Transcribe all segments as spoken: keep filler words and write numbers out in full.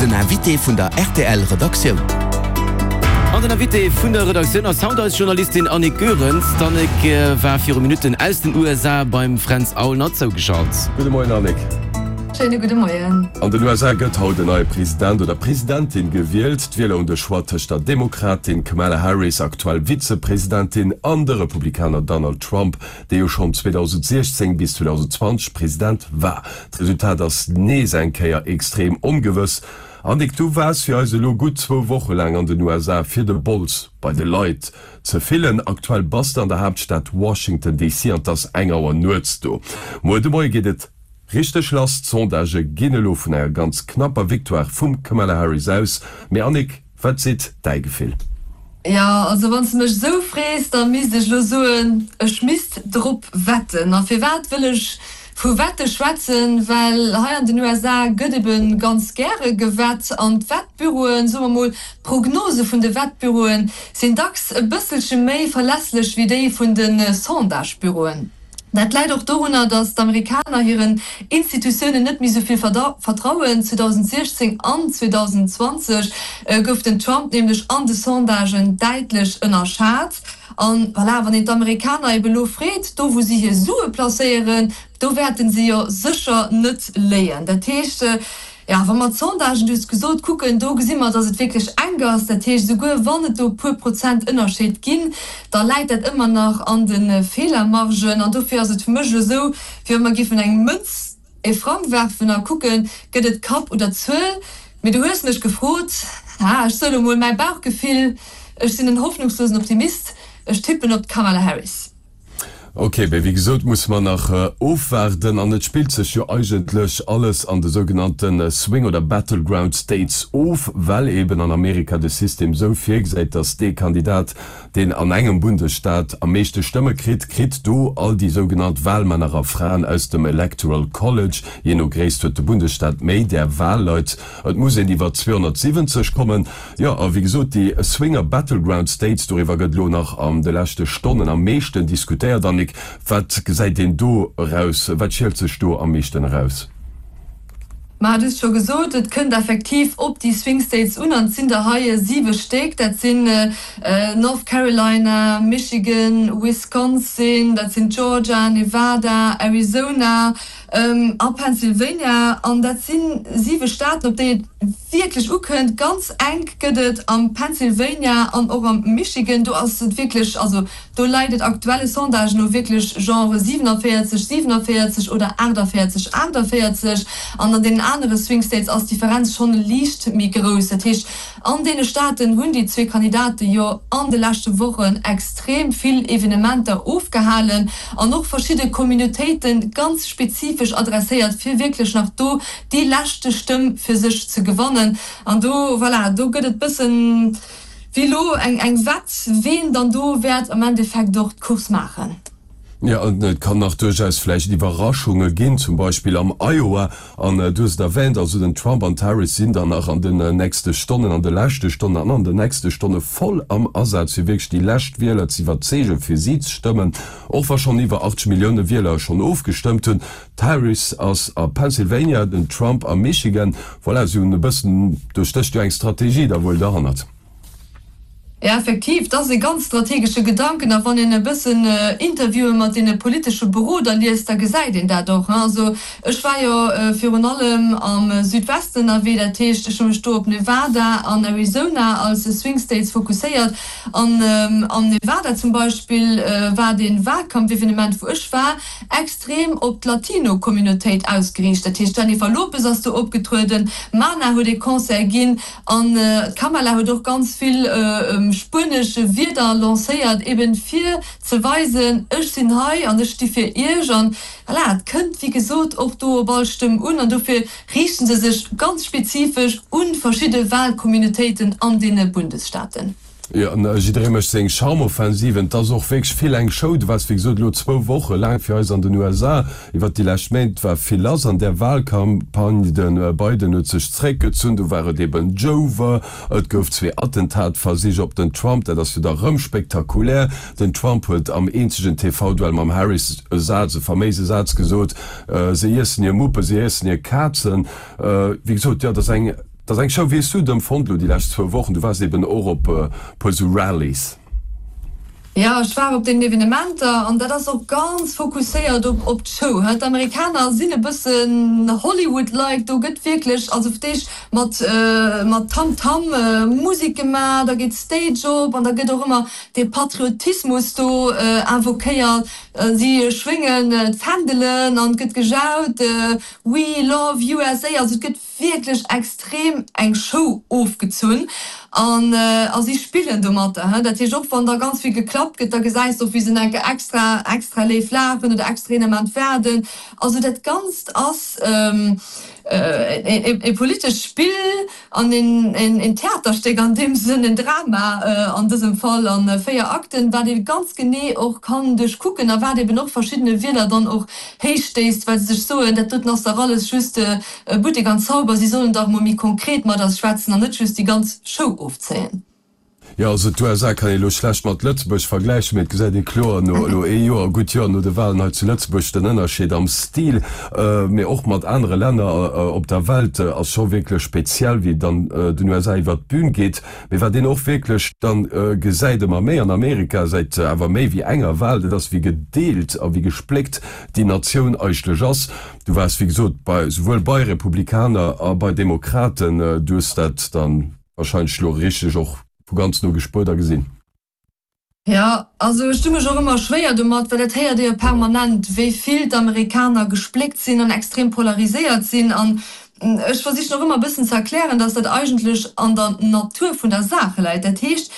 Den Invité vun der R T L Redaktioun. An den Invité vun der Redaktioun ass haut eis Journalistin Annick Goerens. D'Annick war viru Minutten aus den U S A beim Fränz Aulner zougeschalt. Gudde Moien, Annick. Schéine gudde Moien. An den U S A gëtt haut en neie President oder Presidentin gewielt. D'Wieler hunn de Choix tëscht der Demokratin Kamala Harris, aktuell Vizepresidentin, an de Republikaner Donald Trump, dee jo schonn zweedausendsechzéng bis zweedausendzwanzeg President war. D'Resultat ass nees eng Kéier extrem ongewëss. Annick, du waars fir eis elo gutt zwou Woche laang an den U S A, fir de Bols bei de Leit ze fillen. Aktuell bass de an der Haaptstad Washington D C an et ass eng Auer nuets do. Muer de Moie geet et richteg lass. D'Sondagë ginn elo vun enger ganz knapper Victoire vum Kamala Harris aus. Mee Annick, wat seet däi Gefill? Jo, also wann s de mech esou frees, da misst ech elo soen, ech misst drop wetten. A firwat wëll ech vu Wette schwätzen? Well hei an den U S A gëtt ebe ganz gäre gewett an d'Wettbüroen, soe mer mol, d'Prognose vun de Wettbüroen sinn dacks e bësselche méi verlässlech wéi déi vun de Sondagebüroen. Dat läit och dorunner, datt d'Amerikaner hiren Institutiounen net méi sou vill vertrauen. zweedausendsechzéng an zweedausendzwanzeg gouf den Trump nämlech an de Sondagen däitlech ënnerschat. An voilà, wann een d'Amerikaner ebe lo freet, do wou si hir Sue placéieren, do wäerten si jo sécher net léien. Dat heescht, jo, wa mer d'Sondagen, du hues gesot, kucken, do gesi mer, datt et wierklech enk ass. Dat heescht, esouguer wann et do e puer Prozent Ënnerscheed ginn, da läit dat ëmmer nach an de Feelermargen. An dofir ass et fir mech elo esou, wéi wa mer géifen eng Mënz, e Frang werfen a kucken, gëtt et Kapp oder Zuel. Mee du hues mech gefrot, ha, ech soen elo mol mäi Bauchgefill, ech sinn en hoffnungslosen Optimist, ech tippen op d'Kamala Harris. Ok, mee wéi gesot musse mer nach ofwaarden an et spillt sech jo eigentlech alles an de sougenannte Swing oder Battleground States of, well eben an Amerika de System esou virgesäit, datt dee Kandidat, deen an engem Bundesstaat am meeschte Stëmme kritt, kritt do all déi sougenannt Walmänner a Fraen aus dem Electoral College. Jee no Gréisst huet de Bundesstaat méi där Walleit. Et muss een iwwer zweehonnertsiwwenzeg kommen. Jo, a wéi gesot, déi Swing a Battleground States, doriwwer gëtt elo nach an de leschte Stonnen am meeschten diskutéiert. Annick, wat gesäit een do eraus? Wat schielt sech do am meeschten eraus? Ma du hues scho gesot, et kënnt effektiv op déi Swing States un, an et sinn der hei siwe Stéck. Dat sinn North Carolina, Michigan, Wisconsin, dat sinn Georgia, Nevada, Arizona a Pennsylvania. An dat si siwe Staaten, op déi et wierklech ukënnt. Ganz enk gëtt et am Pennsylvania an och am Michigan. Do ass et wierklech, also do läit et aktuelle Sondagen no wierklech genre siewenenvéierzeg, siewenenvéierzeg oder aachtenvéierzeg, aachtenvéierzeg. An an deenen anere Swing States ass d'Differenz schonn liicht méi grouss. Dat heescht, an deene Staaten hunn déi zwee Kandidate jo an de leschte Wochen extrem vill Evenementer ofgehalen an och verschidde Communautéite ganz spezifesch adresséiert, fir wierklech nach do déi leschte Stëmm fir sech ze gewannen. An do, voilà, do gëtt et bëssen wéi elo eng eng Wett, ween dann do wäert am Endeffekt och d'Course maachen. Jo, an et kann nach duerchaus vläicht Iwwerraschunge ginn, zum Beispill am Iowa. An du hues et erwähnt, also den Trump an d'Harris sinn dann nach an den nächste Stonnen, an de leschte Stonnen an an den nächste Stonne voll am Asaz, fir wierklech déi lescht Wieler ze iwwerzeegen, fir si ze stëmmen, och wa schonn iwwer achtzeg Millioune Wieler schonn ofgestëmmt hunn. D'Harris ass a Pennsylvania, den Trump a Michigan. Voilà, si hunn e bëssen, do stécht jo eng Strategie da wuel derhannert. Jo, effektiv, dat ass e ganz strategesche Gedanken. A wann een e bëssen Interviewe mat deene politesche Beroder liest, da gesäit een dat och. Also ech war jo virun allem am Südwesten ënnerwee, dat heescht, ech hu mech do op Nevada an Arizona als Swing States fokusséiert. An am Nevada zum Beispill war dee Wahlkampfevenement, wou ech war, extrem op d'Latino-Communautéit ausgeriicht. Dat heescht, d'Jennifer Lopez ass do opgetrueden, Mana huet ee Concert ginn an d'Kamala huet och ganz vill spuenesch Wierder lancéiert, eben fir ze weisen, ech sinn hei an ech sti fir iech. An voilà, et kënnt wéi gesot och do op all Stëmm un an dofir riichten se sech ganz spezifesch un verschidde Wahlcommunautéiten an deene Bundesstaaten. Jo, an jidderee mécht seng Charmoffensiven. Et ass och wierklech vill eng Show. Du waars wéi gesot elo zwou Woche laang fir eis an den U S A. Iwwert déi lescht Méint war vill lass an där Wahlcampagne. De Biden huet sech zréckgezunn, du war et eben Jover. Et gouf zwee Attentatversich op den Trump, dat ass jo da rëm spektakulär. Den Trump huet am eenzegen T V-Duell mam Harris e Saz, e faméise Saz gesot, Se iessen hir Muppen, se iessen hir Kazen. Wéi gesot, jo, et ass eng. Et ass eng Show. Wéi hues du et empfonnt elo déi lescht zwou Wochen? Du waars eben och op e puer esou Rallies. Jo, ech war op deenen Evenementer an dat ass och ganz fokusséiert op op d'Show. D'Amerikaner sinn e bëssen Hollywood-like, do gëtt wierklech also fir d'éischt mat mat Tam-Tam Musek gemaach, da geet d'Stage op an da gëtt och ëmmer dee Patriotismus do invoquéiert. Si schwéngen d'Fändelen an et gëtt gejaut, We love USA. Also et gëtt wierklech extrem eng Show ofgezunn an a si spillen domatter. Dat heescht, och wann da ganz vill geklappt gëtt, da gesäis de och, wéi se enke extra extra léif laachen oder extra een Ament waarden. Also dat Ganzt ass e politescht Spill an een Theaterstéck an deem Sënn, en Drama an dësem Fall a véier Akten, wat ee ganz genee och kann duerchkucken a wat eben och verschiddene Wieler dann och héich stéisst, well se sech soen, dat doten ass dach alles just Buttek an Zauber, si sollen dach emol méi konkret mat eis schwätzen an net just déi ganz Show ofzéien. Jo, also d'USA kann ee lo schlecht mat Lëtzebuerg vergläichen, mee et gesäit ee kloer no elo ee Joer, gutt Joer no de Wahlen hei zu Lëtzebuerg, den Ënnerscheed am Stil, mee och mat anere Länner op der Welt ass scho wierklech speziell, wéi et an den USA iwwert d'Bün geet. Mee wat een och wierklech dann gesäit, ëmmer méi an Amerika, säit awer méi wéi enger Wahl, dat ass wéi gedeelt a wéi gespléckt déi Natioun eigentlech ass. Du waars wéi gesot bei souwuel bei Republikaner a bei Demokraten, du hues dat dann wahrscheinlech elo richteg och vu ganz no gespuert a gesinn. Jo, also ech du mech och ëmmer schwéier domat, well dat héiert ee jo permanent, wéi vill d'Amerikaner gespléckt sinn an extrem polariséiert sinn. An ech versichen och ëmmer e bëssen ze erklären, datt dat eigentlech an der Natur vun der Saach läit. Dat heescht,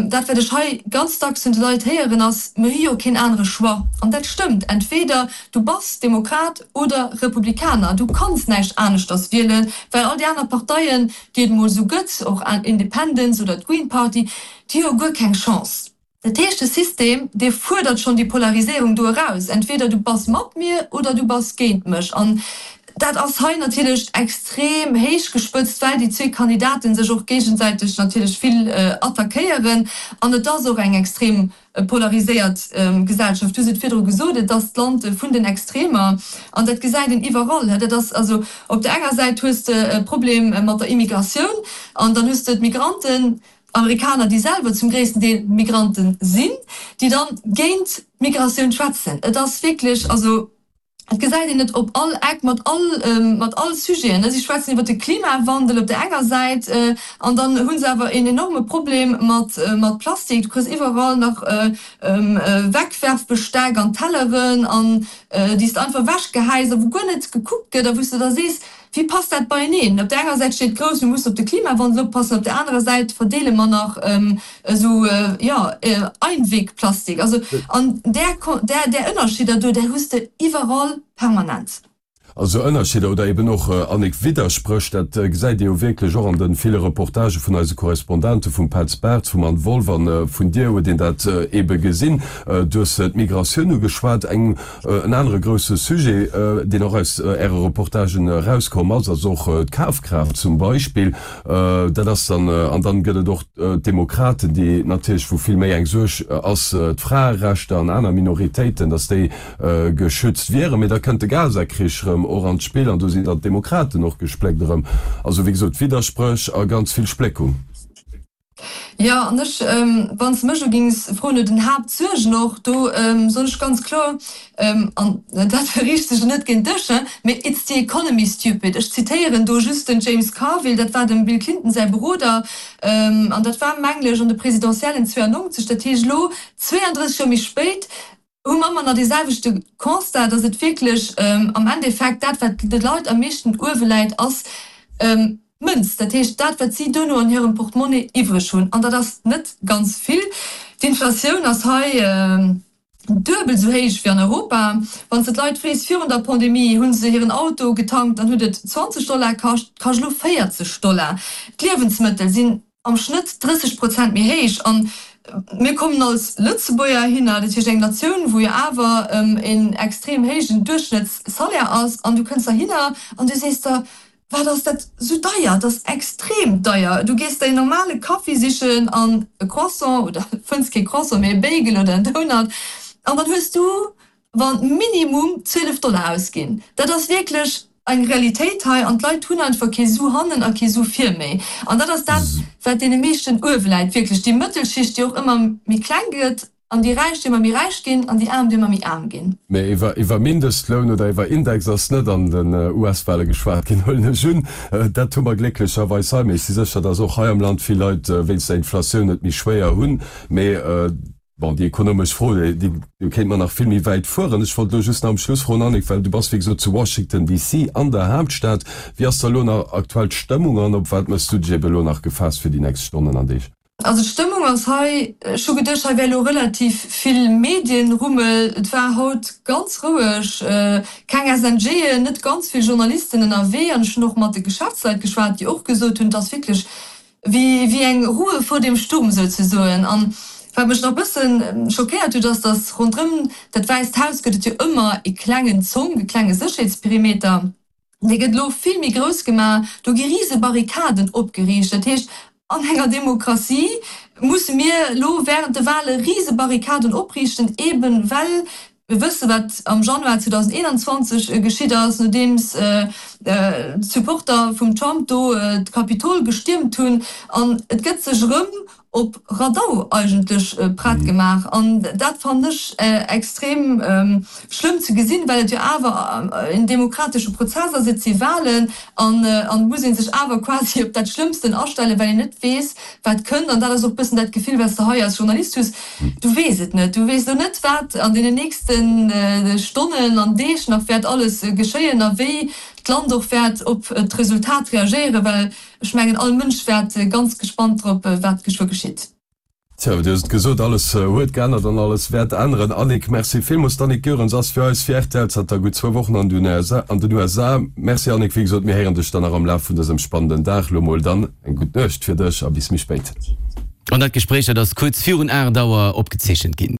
dat wat ech hei ganz dacks vun de Leit héieren, ass, Mir hu jo keen anere Choix. An dat stëmmt, entweder du bass Demokrat oder Republikaner, du kanns näischt aneschters wielen, well all déi aner Parteien, déi et emol esou gëtt, och Independents oder d'Green Party, déi hu jo guer keng Chance. Dat heescht, de System, dee fuerdert schonn déi Polariséierung do eraus, entweder du bass mat mir oder du bass géint mech. An dat ass hei natierlech extrem héich gespëtzt, well déi zwee Kandidaten sech och géigesäiteg natierlech vill attackéieren. An et ass och eng extrem polariséiert Gesellschaft. Du hues et virdru gesot, et ass d'Land vun den Extremer an dat gesäit een iwwerall. Dat ass also, op der enger Säit hues de e Problem mat der Immigratioun an dann hues de d'Migranten, Amerikaner, déi selwer zum gréissten Deel Migranten sinn, déi dann géint d'Migratioun schwätzen. Et ass wierklech, also Et gesäit een et op all Eck, mat all, mat all Sujeten. Si schwätzen iwwer de Klimawandel op der enger Säit an dann hu se awer een enorme Problem mat, mat Plastik. Du kriss iwwerall nach Wegwerfbesteck an Telleren an déi s de einfach ewechgehäis a wou guer net gekuckt gëtt a wou s de da sees, Wéi passt dat beieneen? Op der enger Säit steet grouss, mir mussen op de Klimawandel oppassen, op der anerer Säit verdeele mer nach esou, jo, Einwegplastik. Also, an där, där, där Ënnerscheeder do, där hues de iwwerall permanent. Also Ënnerscheeder oder eben och, Annick, Widderspréch, dat gesäit ee jo wierklech och an de ville Reportagë vun eise Korrespondenten, vum Petz Bartz, vum Anne Wolff an vun dir huet een dat ebe gesinn. Du hues d'Migratioun ugeschwat, eng, en anere grousse Sujet, deen och aus Äre Reportagen erauskomm ass, ass och d'Kafkraaft zum Beispill. Dat ass dann, an dann gëtt et och d'Demokraten, déi natierlech, wou vill méi eng Suerg ass, d'Fraerechter an aner Minoritéiten, datt déi geschützt wieren. Mee da kënnt de Gaza-Krich erëm och an d'Spill an do sinn dann d'Demokraten och gespléckt erëm. Also wéi gesot, Widderspréch a ganz vill Spléckung. Jo, an ech, wann s de mech elo géings froen no den Haaptsuergen och, do soen ech ganz kloer, an dat riicht sech elo net géint dech, mee it's the economy, stupid. Ech zitéieren do just den James Carville, dat war dem Bill Clinton säi Beroder, an dat war, mengen ech, an de Presidentiellen zweiundneunzeg, dat heescht elo zweeëndrësseg Joer méi spéit, hu mer ëmmer nach dee selwechte Constat, dass et wierklech am Endeffekt dat, wat de Leit am meeschten uewe läit, ass, D'Mënz, dat heescht dat, wat si duerno an hirem Portemonnaie iwwreg hunn, an dat ass net ganz vill. D'Inflatioun ass hei duebel esou héich wéi an Europa. Wann s de d'Leit frees, virun der Pandemie hu se hiren Auto getankt, dann huet et zwanzeg Dollar kascht, kascht elo véierzeg Dollar. D'Liewensmëttel sinn am Schnëtt drësseg Prozent méi héich. An mir kommen als Lëtzebuerger hinner, dat heescht eng Natioun, wou jo awer en extrem héijen Duerchschnëttssalaire ass, an du kënns heihinner an du sees der, Wat ass dat sou deier? Et ass extrem deier. Du gees der een normale Kaffi sichen an e Croissant, oder fënns kee Croissant, mee e Bagel oder en Donut, an dann hues du wa minimum zwielef Dollar ausginn. Dat ass wierklech eng Realitéit hei an d'Leit hunn einfach kee Su hannen a kee Su vir méi. An dat ass dat, wat deene meeschten uewe läit, wierklech déi Mëttelschicht, déi och ëmmer méi kleng gëtt an déi Räich, déi ëmmer méi räich ginn an déi Aarm, déi ëmmer méi aarm ginn. Mä iwwer, iwwer Mindestloun oder iwwer Index ass net an den U S-Wahle geschwat ginn, huelen ech un. Dat hu mer glécklecherweis hei. Mee ech si sécher, datt och hei am Land vill Leit wéinst der Inflatioun et méi schwéier hunn. Mee bon, déi ekonomesch Fro, déi kéinte mer nach vill méi wäit fueren. Ech wollt elo just nach am Schluss froen, Annick, well du bass wéi gesot zu Washington D C an der Haaptstad, Wéi ass da elo nach aktuell d'Stëmmung an op wat méchs du dech ebe elo nach gefaasst fir déi nächst Stonnen an Deeg? Also d'Stëmmung ass hei, ech hu geduecht, hei wär elo relativ vill Medienrummel. Et war haut ganz roueg, keng S N G'en, net ganz vill Journalisten ënnerwee an ech hunn och mat de Geschäftsleit geschwat, déi och gesot hunn, et ass wierklech wéi wéi eng Ruhe vor dem Sturm souzesoen. An wat mech nach e bëssen schockéiert huet, ass, dass ronderëm dat Wäisst Haus gëtt et jo ëmmer e klengen Zonk, e klenge Sécherheetsperimeter, dee gëtt elo vill méi grouss gemaach, do gi rise Barrikaden opgeriicht. Dat heescht, an enger Demokratie musse mir elo während de Wahle rise Barrikaden opriichten, eben well mir wësse wat am Januar zweedausendeenanzwanzeg geschitt ass, nodeems d'Supporter vum Trump do d'Kapitol gestiermt hunn. An et gëtt sech erëm op Radau eigentlech prett gemaach. An dat fannen ech extrem schlëmm ze gesinn, well et jo awer en demokratesche Prozess ass, et si Wahlen an et muss ee sech awer quasi op dat Schlëmmsten astellen, well een net weess, wat kënnt. An dat ass och e bëssen dat Gefill, wat s de hei als Journalist hues, du weess et net, du weess elo net, wat an deenen nächste Stonnen an Deeg nach wäert alles geschéien a wéi d'Land och wäert op d'Resultat reagéieren, well ech mengen, all Mënsch wäert ganz gespannt drop, wat geschwë geschitt. Tjo, du hues et gesot, alles huet geännert an alles wäert änneren. Annick, Merci villmools. D'Annick Goerens ass fir eis fir R T L zanter gutt zwou Wochen an den U S A. Merci Annick, wéi gesot, mir héieren dech dann nach am Laf vun dësem spannenden Dag. Lo mol dann eng gutt Nuecht fir dech a bis méi spéit. An dat Gespréich, dat ass kuerz virun aacht Auer opgezeechent ginn.